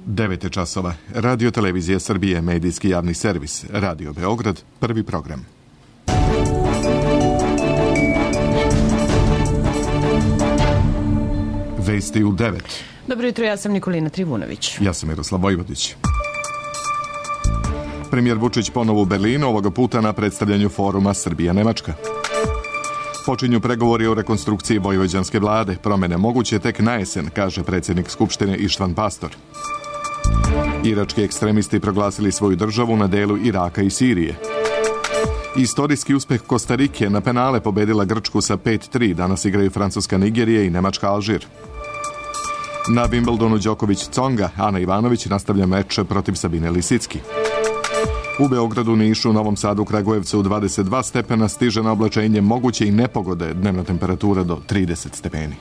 9 časova. Radio Televizija Srbije, medijski javni servis. Radio Beograd, prvi program. Vesti u 9. Dobro jutro, ja sam Nikolina Trivunović. Ja sam Miroslav Vojvodić. Premijer Vučić ponovo u Berlinu, ovoga puta na predstavljanju foruma Srbija-Nemačka. Počinju pregovori o rekonstrukciji vojvođanske vlade. Promene moguće tek na jesen, kaže predsjednik Skupštine Ištvan Pastor. Irački ekstremisti proglasili svoju državu na delu Iraka i Sirije. Istorijski uspeh Kostarike, na penale pobedila Grčku sa 5-3. Danas igraju Francuska Nigerija i Nemačka Alžir. Na Wimbledonu Đoković-Conga, Ana Ivanović nastavlja meč protiv Sabine Lisicki. U Beogradu, Nišu, Novom Sadu, Kragujevcu 22 stepena, stiže na oblačenje moguće i nepogode, dnevna temperatura do 30 stepeni.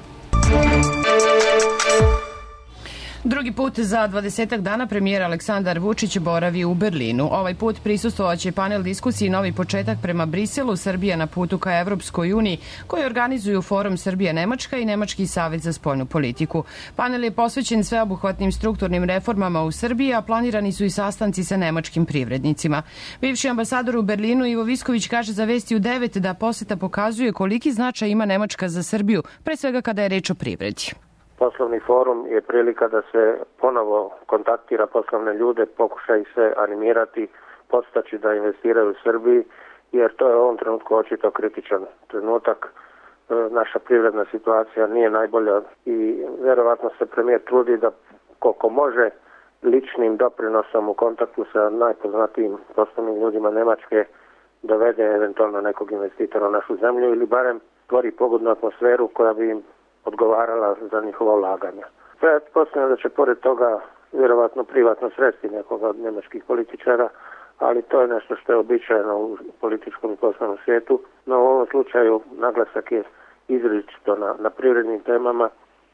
Drugi put za 20 dana premijer Aleksandar Vučić boravi u Berlinu. Ovaj put prisustvovaće panel diskusiji Novi početak prema Briselu, Srbija na putu ka Evropskoj uniji, koji organizuju Forum Srbija-Nemačka i Nemački savjet za spoljnu politiku. Panel je posvećen sveobuhvatnim strukturnim reformama u Srbiji, a planirani su i sastanci sa nemačkim privrednicima. Bivši ambasador u Berlinu Ivo Visković kaže za Vesti u 9 da poseta pokazuje koliki značaj ima Nemačka za Srbiju, pre svega kada je reč o privredi. Poslovni forum je prilika da se ponovo kontaktira poslovne ljude, pokuša ih se animirati, podstaći da investiraju u Srbiji, jer to je u ovom trenutku očito kritičan trenutak. Naša privredna situacija nije najbolja i vjerovatno se premijer trudi da koliko može ličnim doprinosom u kontaktu sa najpoznatijim poslovnim ljudima Nemačke dovede eventualno nekog investitora u našu zemlju ili barem stvori pogodnu atmosferu koja bi im odgovarala za njihova ulaganja. Pretpostavljam da će pored toga vjerovatno privatno sresti nekoga od njemačkih političara, ali to je nešto što je običajeno u političkom i poslovnom svijetu, no u ovom slučaju naglasak je izričito na privrednim temama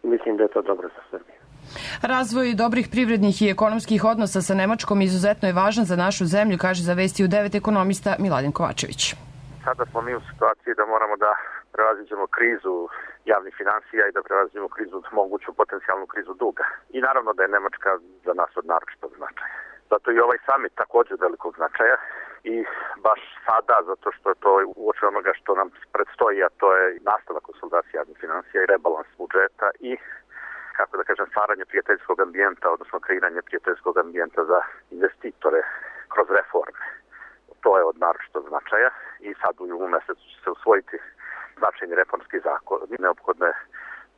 i mislim da je to dobro za Srbiju. Razvoj dobrih privrednih i ekonomskih odnosa sa Nemačkom izuzetno je važan za našu zemlju, kaže za Vesti u 9 ekonomista Miladin Kovačević. Sada smo mi u situaciji da moramo da prevaziđemo krizu javnih financija i da prevaziđemo moguću potencijalnu krizu duga. I naravno da je Nemačka za nas od naročitog značaja. Zato i ovaj summit također od velikog značaja i baš sada, zato što je to uoči onoga što nam predstoji, a to je nastavak konsolidacije javnih financija i rebalans budžeta i, kako da kažem, stvaranje prijateljskog ambijenta, odnosno kreiranje prijateljskog ambijenta za investitore kroz reforme. To je od naročitog značaja i sad u julu mesecu će se usvojiti značajni reformski zakon. Neophodno je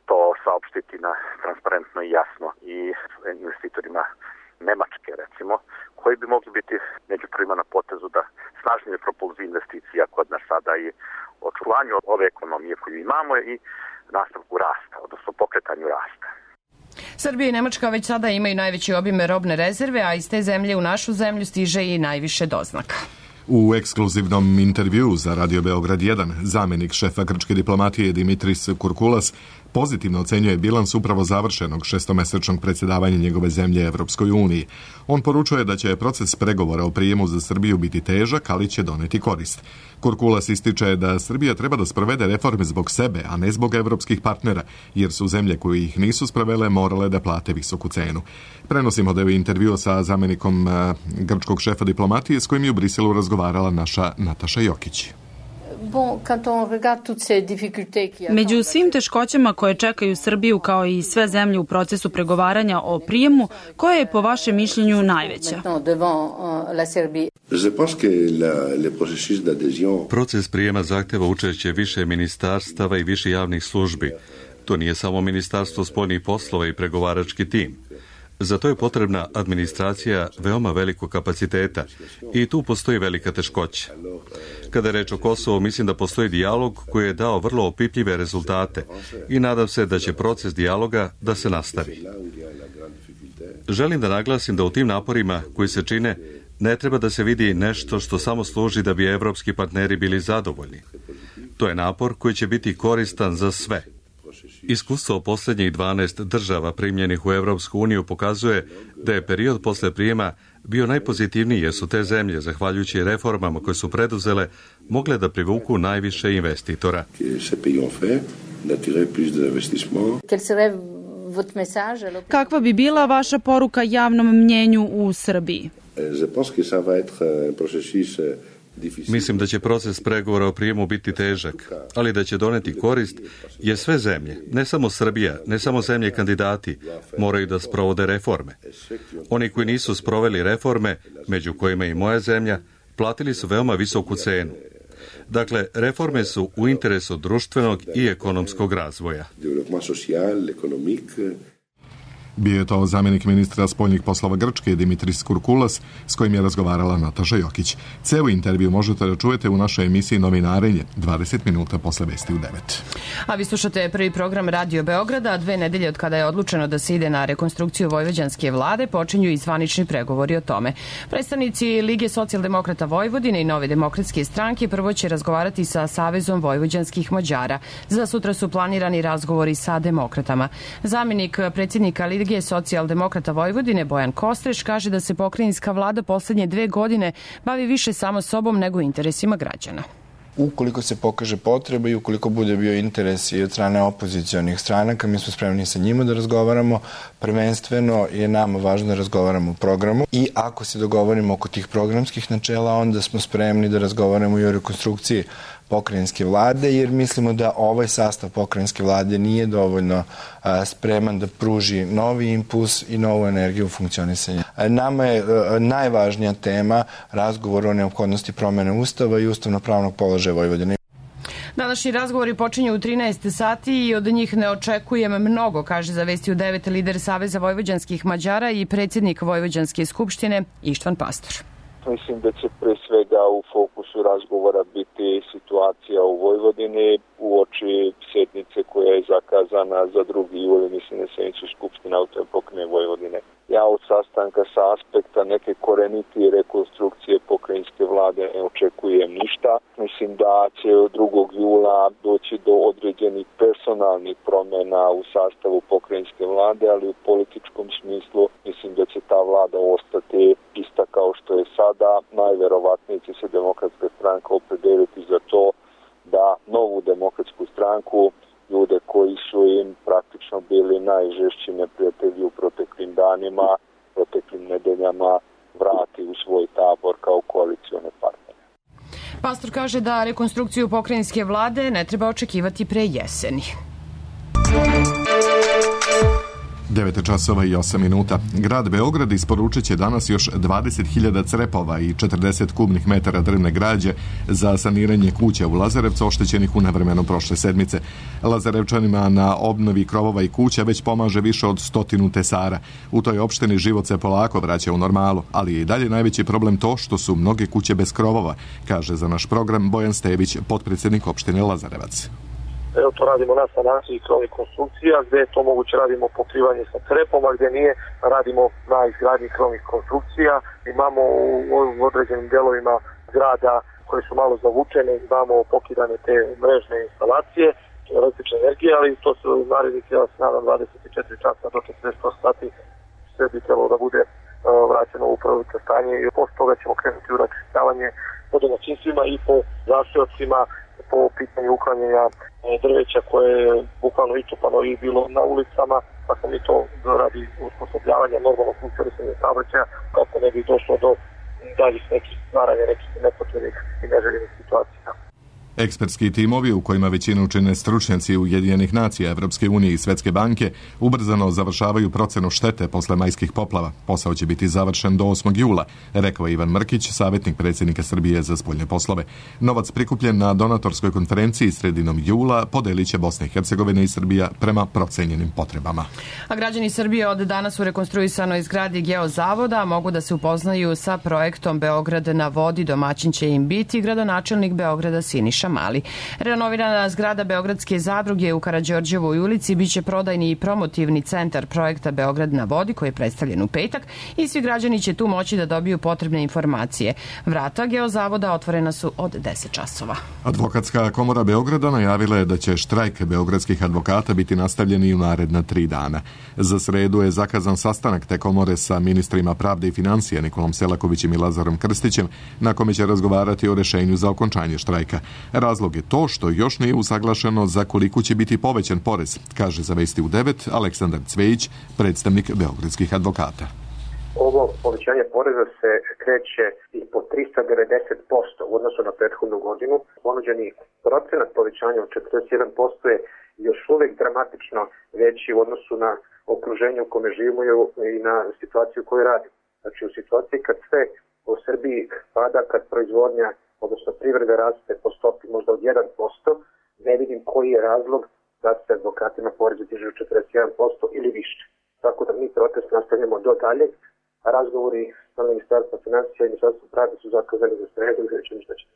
to saopštiti na transparentno i jasno i investitorima Nemačke, recimo, koji bi mogli biti među prvima na potezu da snažnije propulziju investicija kod nas sada i očuvanju ove ekonomije koju imamo i nastavku rasta, odnosno pokretanju rasta. Srbija i Nemačka već sada imaju najveće obime robne rezerve, a iz te zemlje u našu zemlju stiže i najviše doznaka. U ekskluzivnom intervjuu za Radio Beograd 1 zamjenik šefa grčke diplomatije Dimitris Kurkulas pozitivno ocenjuje bilans upravo završenog šestomesečnog predsjedavanja njegove zemlje Evropskoj uniji. On poručuje da će proces pregovora o prijemu za Srbiju biti težak, ali će doneti korist. Kurkulas ističe da Srbija treba da sprovede reforme zbog sebe, a ne zbog evropskih partnera, jer su zemlje koje ih nisu sprovele morale da plate visoku cenu. Prenosimo deo intervjua sa zamjenikom grčkog šefa diplomatije s kojim je u Briselu razgovarala naša Nataša Jokić. Među svim teškoćama koje čekaju Srbiju kao i sve zemlje u procesu pregovaranja o prijemu, koja je po vašem mišljenju najveća? Proces prijema zahteva učešće više ministarstava i više javnih službi. To nije samo Ministarstvo spoljnih poslova i pregovarački tim. Za to je potrebna administracija veoma velikog kapaciteta i tu postoji velika teškoća. Kada je reč o Kosovu, mislim da postoji dijalog koji je dao vrlo opipljive rezultate i nadam se da će proces dijaloga da se nastavi. Želim da naglasim da u tim naporima koji se čine ne treba da se vidi nešto što samo služi da bi evropski partneri bili zadovoljni. To je napor koji će biti koristan za sve. Iskustvo posljednjih 12 država primljenih u Evropsku uniju pokazuje da je period posle prijema bio najpozitivniji jer su te zemlje, zahvaljujući reformama koje su preduzele, mogle da privuku najviše investitora. Kakva bi bila vaša poruka javnom mnjenju u Srbiji? Mislim da će proces pregovora o prijemu biti težak, ali da će doneti korist, jer sve zemlje, ne samo Srbija, ne samo zemlje kandidati, moraju da sprovode reforme. Oni koji nisu sproveli reforme, među kojima i moja zemlja, platili su veoma visoku cenu. Dakle, reforme su u interesu društvenog i ekonomskog razvoja. Bio je to zamjenik ministra spoljnih poslova Grčke Dimitris Kurkulas, s kojim je razgovarala Nataša Jokić. Ceo intervju možete da čujete u našoj emisiji Novinarenje, 20 minuta posle vesti u 9. A vi slušate prvi program Radio Beograda. 2 nedelje od kada je odlučeno da se ide na rekonstrukciju vojvođanske vlade, počinju i zvanični pregovori o tome. Predstavnici Lige socijaldemokrata Vojvodine i Nove demokratske stranke prvo će razgovarati sa Savezom vojvođanskih Mađara. Za sutra su planirani razgovori sa demokratama. Zamjenik predsjednika Lige socijaldemokrata Vojvodine Bojan Kostreš kaže da se pokrajinska vlada poslednje 2 godine bavi više samo sobom nego interesima građana. Ukoliko se pokaže potreba i ukoliko bude bio interes i od strane opozicionih stranaka, mi smo spremni sa njima da razgovaramo. Prvenstveno je nama važno da razgovaramo o programu i ako se dogovorimo oko tih programskih načela, onda smo spremni da razgovaramo i o rekonstrukciji pokrajinske vlade, jer mislimo da ovaj sastav pokrajinske vlade nije dovoljno spreman da pruži novi impuls i novu energiju u funkcionisanju. Nama je najvažnija tema razgovor o neophodnosti promene Ustava i ustavno-pravnog položaja Vojvodine. Današnji razgovori počinju u 13 sati i od njih ne očekujem mnogo, kaže za vesti u 9 lider Saveza vojvođanskih Mađara i predsjednik Vojvođanske skupštine Ištvan Pastor. Mislim da će pre svega u fokusu razgovora biti situacija u Vojvodini uoči sjednice koja je zakazana za 2. juli, mislim na sednicu Skupštine autonomne pokrajine Vojvodine. Ja od sastanka sa aspekta neke korenitije rekonstrukcije pokrajinske vlade ne očekujem ništa. Mislim da će od 2. jula doći do određenih personalnih promjena u sastavu pokrajinske vlade, ali u političkom smislu mislim da će ta vlada ostati ista kao što je sada. Najverovatnije će se Demokratska stranka opredeliti za to da novu Demokratsku stranku, ljude koji su im praktično bili najžešći neprijatelji u proteklim danima, proteklim nedeljama, vrati u svoj tabor kao koalicione partnere. Pastor kaže da rekonstrukciju pokrajinske vlade ne treba očekivati pre jeseni. 9 časova i 8 minuta. Grad Beograd isporučit će danas još 20.000 crepova i 40 kubnih metara drvne građe za saniranje kuća u Lazarevcu oštećenih u nevremenu prošle sedmice. Lazarevčanima na obnovi krovova i kuća već pomaže više od 100 tesara. U toj opštini život se polako vraća u normalu, ali je i dalje najveći problem to što su mnoge kuće bez krovova, kaže za naš program Bojan Stević, potpredsjednik opštine Lazarevac. Evo to radimo na sanaciji krovnih konstrukcija, gdje je to moguće radimo pokrivanje sa crepom, a gdje nije radimo na izgradnji krovnih konstrukcija. Imamo u određenim delovima grada koje su malo zavučene, imamo pokidane te mrežne instalacije električne energije, ali to se u narednih, ja se nadam, 24 časa do 48 sati sve bi trebalo da bude vraćeno u prvobitno stanje i posle toga ćemo krenuti u račistavanje po domaćinstvima i po zaseocima, po pitanju uklanjanja drveća koje je bukvalno ičupano i bilo na ulicama, pa smo mi to radi usposobljavanja normalnog funkcionisanja saobraćaja kako ne bi došlo do daljih nekih stvaranja nekih nepotrebnih i neželjenih situacija. Ekspertski timovi, u kojima većinu čine stručnjaci Ujedinjenih nacija, Evropske unije i Svetske banke, ubrzano završavaju procenu štete posle majskih poplava. Posao će biti završen do 8. jula, rekao Ivan Mrkić, savjetnik predsjednika Srbije za spoljne poslove. Novac prikupljen na donatorskoj konferenciji sredinom jula podelit će Bosna i Hercegovina i Srbija prema procenjenim potrebama. A građani Srbije od danas u rekonstruisanoj zgradi Geozavoda mogu da se upoznaju sa projektom Beograd na vodi. Domaćin će im biti gradonačelnik Beograda Siniša Mali. Renovirana zgrada Beogradske zadruge u Karađorđevoj ulici biće prodajni i promotivni centar projekta Beograd na vodi koji je predstavljen u petak i svi građani će tu moći da dobiju potrebne informacije. Vrata Geozavoda otvorena su od 10 časova. Advokatska komora Beograda najavila je da će štrajk beogradskih advokata biti nastavljen i u naredna 3 dana. Za sredu je zakazan sastanak te komore sa ministrima pravde i financija Nikolom Selakovićem i Lazarom Krstićem, na kome će razgovarati o rešenju za okončanje štrajka. Razlog je to što još nije usaglašeno za koliko će biti povećan porez, kaže za Vesti u 9 Aleksandar Cvejić, predstavnik beogradskih advokata. Ovo povećanje poreza se kreće i po 390% u odnosu na prethodnu godinu. Ponuđeni procenat povećanja od 41% je još uvijek dramatično veći u odnosu na okruženje u kome živimo i na situaciju koju radimo. Znači u situaciji kad sve u Srbiji pada, kad proizvodnja, odnosno privreda raste po stopi možda od 1%, ne vidim koji je razlog da se advokatima porezi dižu 41% ili više. Tako da mi protest nastavljamo do dalje, a razgovori sa Ministarstvom financija i Ministarstvom pravde su zakazani za sredu i vidjet ćemo šta će.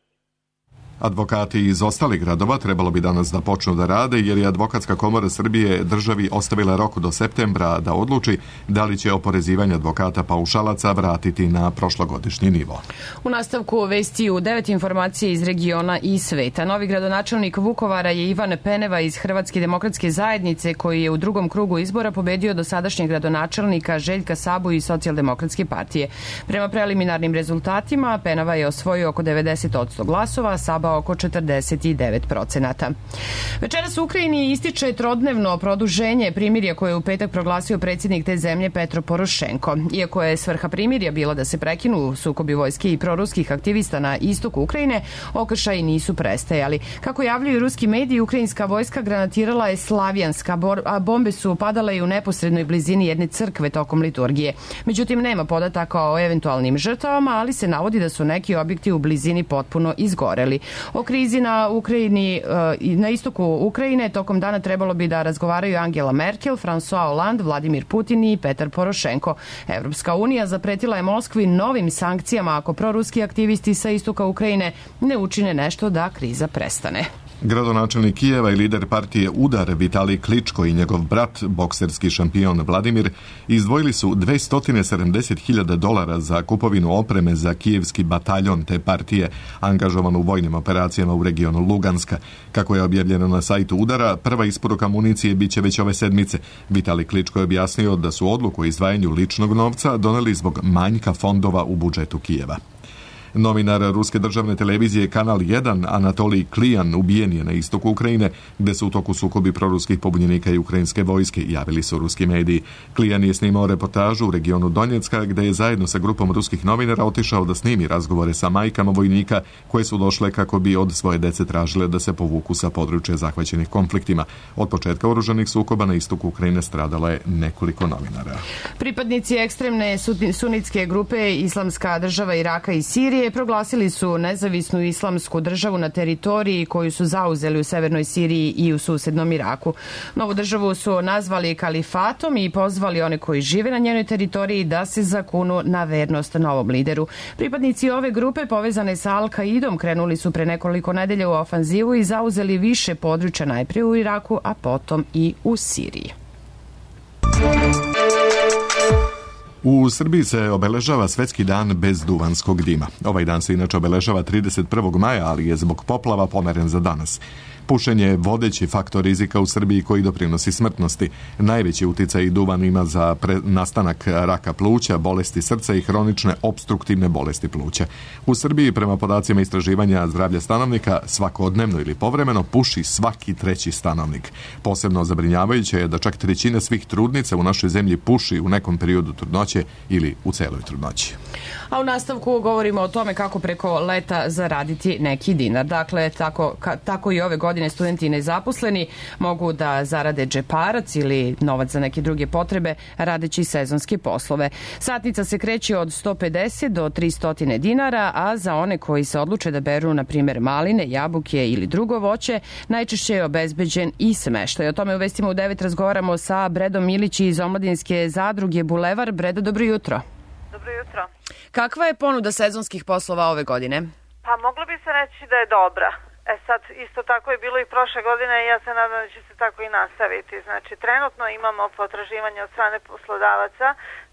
Advokati iz ostalih gradova trebalo bi danas da počnu da rade, jer je Advokatska komora Srbije državi ostavila rok do septembra da odluči da li će oporezivanje advokata paušalaca vratiti na prošlogodišnji nivo. U nastavku Vesti u 9 informacije iz regiona i sveta. Novi gradonačelnik Vukovara je Ivan Peneva iz Hrvatske demokratske zajednice, koji je u drugom krugu izbora pobedio dosadašnjeg gradonačelnika Željka Sabu iz Socijaldemokratske partije. Prema preliminarnim rezultatima, Peneva je osvojio oko 90% glasova, Saba oko 49%. Večeras u Ukrajini ističe trodnevno produženje primirja koje je u petak proglasio predsjednik te zemlje Petro Porošenko. Iako je svrha primirja bila da se prekinu sukobi vojske i proruskih aktivista na istoku Ukrajine, okršaji nisu prestajali. Kako javljaju ruski mediji, ukrajinska vojska granatirala je Slavjanska, a bombe su padale i u neposrednoj blizini jedne crkve tokom liturgije. Međutim, nema podataka o eventualnim žrtvama, ali se navodi da su neki objekti u blizini potpuno izgoreli. O krizi na Ukrajini, na istoku Ukrajine tokom dana trebalo bi da razgovaraju Angela Merkel, François Hollande, Vladimir Putin i Petar Porošenko. Evropska unija zapretila je Moskvi novim sankcijama ako proruski aktivisti sa istoka Ukrajine ne učine nešto da kriza prestane. Gradonačelnik Kijeva i lider partije Udar Vitalij Kličko i njegov brat, bokserski šampion Vladimir, izdvojili su $270.000 za kupovinu opreme za kijevski bataljon te partije, angažovan u vojnim operacijama u regionu Luganska. Kako je objavljeno na sajtu Udara, prva isporuka municije biće već ove sedmice. Vitalij Kličko je objasnio da su odluku o izdvajanju ličnog novca doneli zbog manjka fondova u budžetu Kijeva. Novinar ruske državne televizije Kanal 1 Anatolij Klijan ubijen je na istoku Ukrajine, gde su u toku sukobi proruskih pobunjenika i ukrajinske vojske, javili su ruski mediji. Klijan je snimao reportažu u regionu Donjecka, gde je zajedno sa grupom ruskih novinara otišao da snimi razgovore sa majkama vojnika koje su došle kako bi od svoje dece tražile da se povuku sa područja zahvaćenih konfliktima. Od početka oružanih sukoba na istoku Ukrajine stradalo je nekoliko novinara. Pripadnici ekstremne sunitske grupe Islamska država Iraka i Sirije proglasili su nezavisnu islamsku državu na teritoriji koju su zauzeli u severnoj Siriji i u susednom Iraku. Novu državu su nazvali kalifatom i pozvali one koji žive na njenoj teritoriji da se zakunu na vernost novom lideru. Pripadnici ove grupe povezane sa Al-Kaidom krenuli su pre nekoliko nedelja u ofanzivu i zauzeli više područja najprije u Iraku, a potom i u Siriji. U Srbiji se obeležava Svetski dan bez duvanskog dima. Ovaj dan se inače obeležava 31. maja, ali je zbog poplava pomeren za danas. Pušenje je vodeći faktor rizika u Srbiji koji doprinosi smrtnosti. Najveći uticaj duvan ima za nastanak raka pluća, bolesti srca i hronične opstruktivne bolesti pluća. U Srbiji, prema podacima istraživanja zdravlja stanovnika, svakodnevno ili povremeno puši svaki treći stanovnik. Posebno zabrinjavajuće je da čak trećina svih trudnica u našoj zemlji puši u nekom periodu trudnoće ili u celoj trudnoći. A u nastavku govorimo o tome kako preko leta zaraditi neki dinar. Dakle, tako i ove godine studenti nezaposleni mogu da zarade džeparac ili novac za neke druge potrebe radeći sezonske poslove. Satnica se kreće od 150 do 300 dinara, a za one koji se odluče da beru, na primjer, maline, jabuke ili drugo voće, najčešće je obezbeđen i smeštaj. O tome u Vestima u 9 razgovaramo sa Bredom Milići iz omladinske zadruge Bulevar. Bredo, dobro jutro. Dobro jutro. Kakva je ponuda sezonskih poslova ove godine? Pa moglo bi se reći da je dobra. Sad, isto tako je bilo i prošle godine i ja se nadam da će se tako i nastaviti. Znači, trenutno imamo potraživanje od strane poslodavaca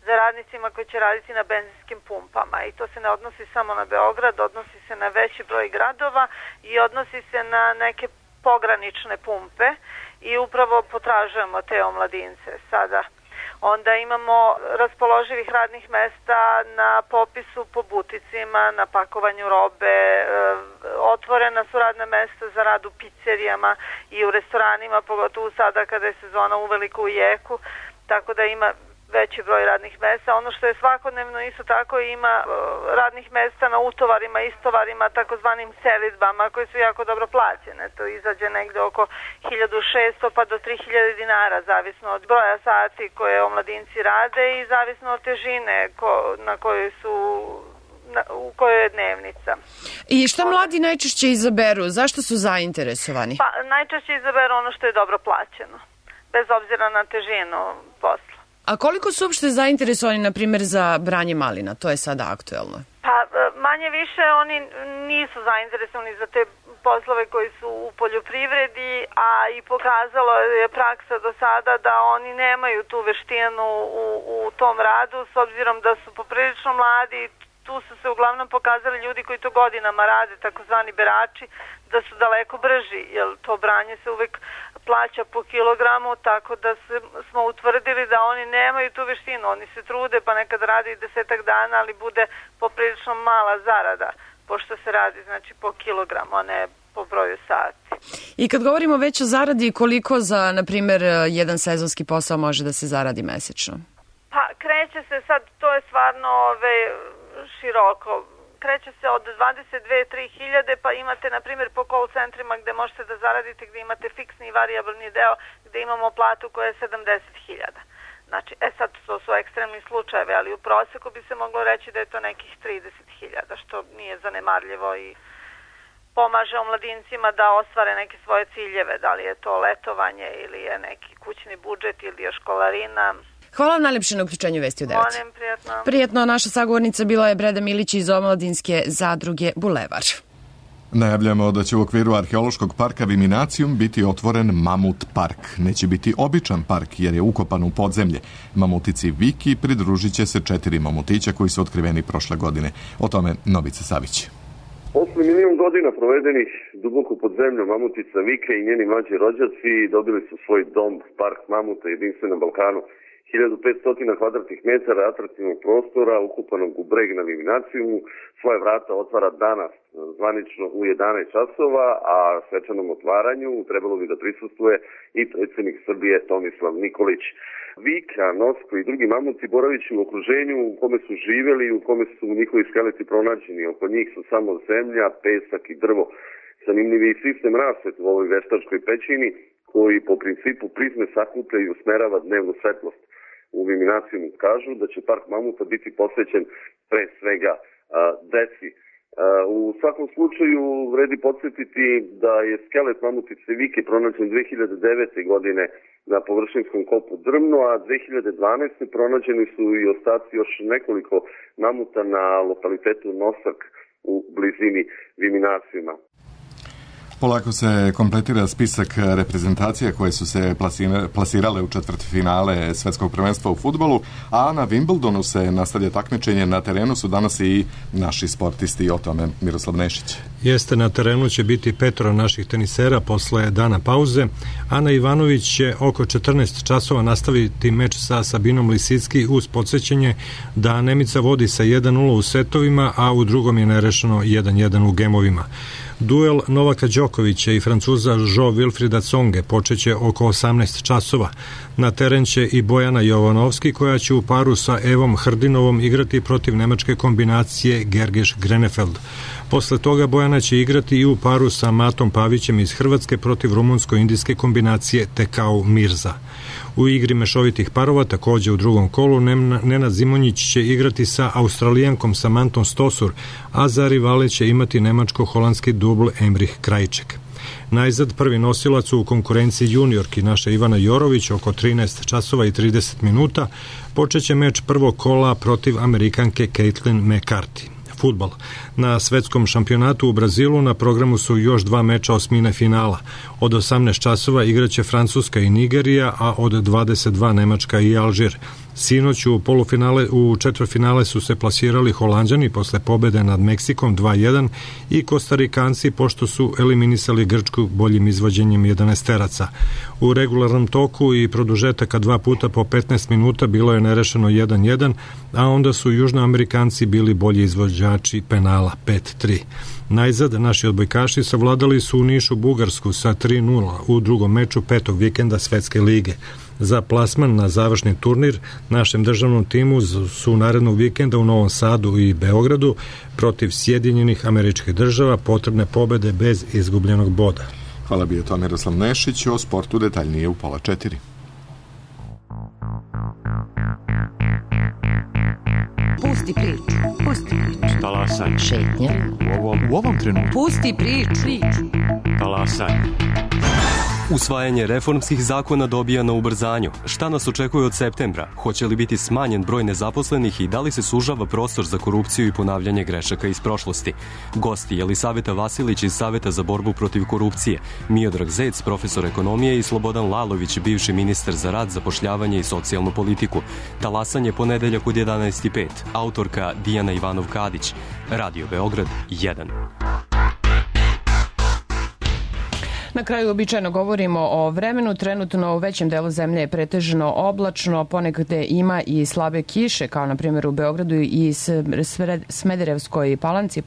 za radnicima koji će raditi na benzinskim pumpama. I to se ne odnosi samo na Beograd, odnosi se na veći broj gradova i odnosi se na neke pogranične pumpe i upravo potražujemo te omladince sada. Onda imamo raspoloživih radnih mesta na popisu po buticima, na pakovanju robe, otvorena su radna mesta za rad u pizzerijama i u restoranima, pogotovo sada kada je sezona uveliko u jeku, tako da ima veći broj radnih mesta. Ono što je svakodnevno isto tako ima radnih mesta na utovarima, istovarima, takozvanim selidbama koje su jako dobro plaćene. To izađe negde oko 1600 pa do 3000 dinara, zavisno od broja sati koje omladinci rade i zavisno od težine na kojoj su u kojoj je dnevnica. I šta mladi najčešće izaberu? Zašto su zainteresovani? Pa najčešće izaberu ono što je dobro plaćeno, bez obzira na težinu posla. A koliko su uopšte zainteresovani, na primjer, za branje malina? To je sada aktuelno. Pa manje više oni nisu zainteresovani za te poslove koji su u poljoprivredi, a i pokazalo je praksa do sada da oni nemaju tu veštinu u tom radu, s obzirom da su poprilično mladi. Tu su se uglavnom pokazali ljudi koji to godinama rade, takozvani berači, da su daleko brži, jer to branje se uvek plaća po kilogramu, tako da smo utvrdili da oni nemaju tu veštinu. Oni se trude, pa nekad radi 10 dana, ali bude poprilično mala zarada, pošto se radi znači po kilogramu, a ne po broju sati. I kad govorimo već o zaradi, koliko za, na primjer, jedan sezonski posao može da se zaradi mesečno? Pa kreće se sad, to je stvarno široko. Kreće se od 22-3 hiljade, pa imate, na primjer, po call centrima gde možete da zaradite, gde imate fiksni i variabilni deo, gde imamo platu koja je 70.000. Znači, sad to su ekstremni slučajevi, ali u proseku bi se moglo reći da je to nekih 30.000, što nije zanemarljivo i pomaže omladincima da ostvare neke svoje ciljeve, da li je to letovanje ili je neki kućni budžet ili je školarina. Hvala vam najlepše na uključenju Vesti u 9. Molim, prijatno. Prijetno, naša sagovornica bila je Breda Milić iz Omladinske zadruge Bulevar. Najavljamo da će u okviru arheološkog parka Viminacijum biti otvoren Mamut park. Neće biti običan park jer je ukopan u podzemlje. Mamutici Viki pridružit će se 4 mamutića koji su otkriveni prošle godine. O tome Novica Savić. Posle 1.000.000 godina provedenih duboko pod zemljom, mamutica Vike i njeni mlađi rođaci dobili su svoj dom, park mamuta, jedinstven na Balkanu. 1500 kvadratnih metara atraktivnog prostora ukupanog u breg na Viminacijumu svoje vrata otvara danas zvanično u 11 časova, a svečanom otvaranju trebalo bi da prisustvuje i predsjednik Srbije Tomislav Nikolić. Vika, Nosko i drugi mamuti boravići u okruženju u kome su živjeli i u kome su njihovi skeleti pronađeni. Oko njih su samo zemlja, pesak i drvo. Zanimljiv je sistem rasvete u ovoj veštačkoj pećini koji po principu prizme sakuplja i usmerava dnevnu svetlost. U Viminacijumu kažu da će park mamuta biti posvećen pre svega deci. U svakom slučaju vredi podsjetiti da je skelet mamutice Vike pronađen 2009. godine na površinskom kopu Drmno, a 2012. pronađeni su i ostaci još nekoliko mamuta na lokalitetu Nosak u blizini Viminacijuma. Polako se kompletira spisak reprezentacija koje su se plasirale u četvrtfinale svetskog prvenstva u fudbalu, a na Wimbledonu se nastavlja takmičenje. Na terenu su danas i naši sportisti, o tome Miroslav Nešić. Jeste, na terenu će biti 5 naših tenisera posle dana pauze. Ana Ivanović će oko 14 časova nastaviti meč sa Sabinom Lisicki uz podsjećanje da Nemica vodi sa 1-0 u setovima, a u drugom je nerešeno 1-1 u gemovima. Duel Novaka Đokovića i Francuza Jo-Wilfrida Tsonge počeće oko 18 časova. Na teren će i Bojana Jovanovski koja će u paru sa Evom Hrdinovom igrati protiv nemačke kombinacije Gergeš-Grenefeld. Posle toga Bojana će igrati i u paru sa Matom Pavićem iz Hrvatske protiv rumunsko-indijske kombinacije Tekau Mirza. U igri mešovitih parova takođe u drugom kolu Nenad Zimonjić će igrati sa Australijankom Samantom Stosur, a za rivale će imati nemačko-holandski dubl Emrich Krajček. Najzad prvi nosilac u konkurenciji juniorki naša Ivana Jorović oko 13 časova i 30 minuta počeće meč prvog kola protiv Amerikanke Caitlin McCarthy. Fudbal. Na svetskom šampionatu u Brazilu na programu su još 2 meča osmine finala. Od 18 časova igraće Francuska i Nigerija, a od 22 Nemačka i Alžir. Sinoć u četvrtfinale su se plasirali Holanđani posle pobede nad Meksikom 2-1 i Kostarikanci pošto su eliminisali Grčku boljim izvođenjem 11-teraca. U regularnom toku i produžetaka 2 puta po 15 minuta bilo je nerešeno 1-1, a onda su Južnoamerikanci bili bolji izvođači penala 5-3. Najzad, naši odbojkaši savladali su u Nišu Bugarsku sa 3-0 u drugom meču 5. vikenda Svetske lige. Za plasman na završni turnir našem državnom timu su narednog vikenda u Novom Sadu i Beogradu protiv Sjedinjenih Američkih Država potrebne pobede bez izgubljenog boda. Hvala, bio to Miroslav Nešić, o sportu detaljnije u 3:30. Pusti priču, pusti priču. Talasaj. Šetnja. U ovom trenutku. Pusti priču. Talasaj. Usvajanje reformskih zakona dobija na ubrzanju. Šta nas očekuje od septembra? Hoće li biti smanjen broj nezaposlenih i da li se sužava prostor za korupciju i ponavljanje grešaka iz prošlosti? Gosti Jelisaveta Vasilić iz Saveta za borbu protiv korupcije, Miodrag Zec, profesor ekonomije i Slobodan Lalović, bivši ministar za rad, zapošljavanje i socijalnu politiku. Talasanje ponedeljak od 11:05. Autorka Dijana Ivanov-Kadić. Radio Beograd 1. Na kraju običajno govorimo o vremenu. Trenutno u većem delu zemlje je pretežno oblačno, ponekde ima i slabe kiše, kao na primjer u Beogradu i Smederevskoj Palanci,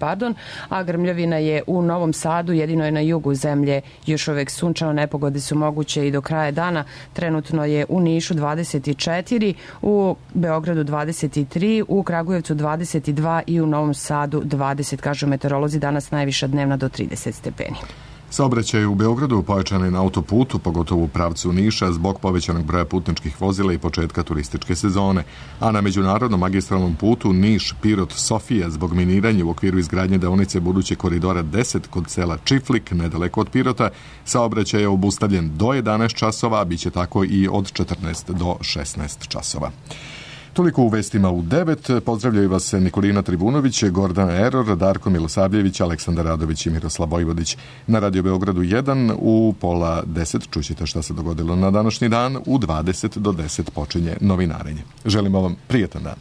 a grmljavina je u Novom Sadu, jedino je na jugu zemlje još uvek sunčano, nepogode su moguće i do kraja dana. Trenutno je u Nišu 24, u Beogradu 23, u Kragujevcu 22 i u Novom Sadu 20, kažu meteorolozi, danas najviša dnevna do 30 stepeni. Saobraćaj u Beogradu pojačan je na autoputu, pogotovo u pravcu Niša, zbog povećanog broja putničkih vozila i početka turističke sezone, a na međunarodnom magistralnom putu Niš-Pirot-Sofija zbog miniranja u okviru izgradnje deonice budućeg koridora 10 kod sela Čiflik, nedaleko od Pirota, saobraćaj je obustavljen do 11 časova, a bit će tako i od 14 do 16 časova. Toliko u vestima u 9. Pozdravljaju vas Nikolina Tribunović, Gordana Eror, Darko Milosavljević, Aleksandar Radović i Miroslav Vojvodić. Na Radio Beogradu 1 u 9:30 čućete šta se dogodilo na današnji dan. U 20 do 10 počinje novinarenje. Želimo vam prijetan dan.